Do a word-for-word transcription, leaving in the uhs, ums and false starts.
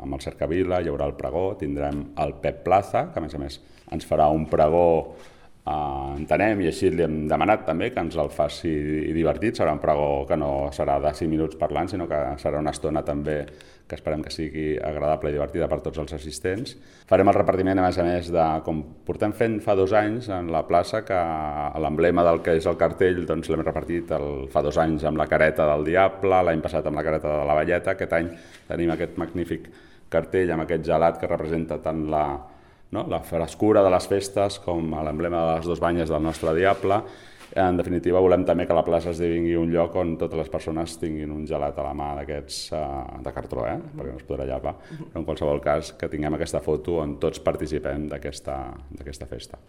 amb el Cercavila, hi haurà el pregó, tindrem el Pep Plaza, que a més a més ens farà un pregó, eh, entenem, i així li hem demanat també que ens el faci divertit. Serà un pregó que no serà de cinc minuts parlant, sinó que serà una estona també que esperem que sigui agradable i divertida per tots els assistents. Farem el repartiment, a més a més, de com portem fent fa dos anys en la plaça, que l'emblema del que és el cartell doncs l'hem repartit el, fa dos anys amb la careta del Diable, l'any passat amb la careta de la Velleta. Aquest any tenim aquest magnífic cartell amb aquest gelat que representa tant la, no, la frescura de les festes com l'emblema de les dues banyes del nostre Diable. En definitiva, volem també que la plaça esdevingui un lloc on totes les persones tinguin un gelat a la mà d'aquests uh, de cartró, eh? Perquè no es podrà llepar. Però en qualsevol cas, que tinguem aquesta foto on tots participem d'aquesta festa.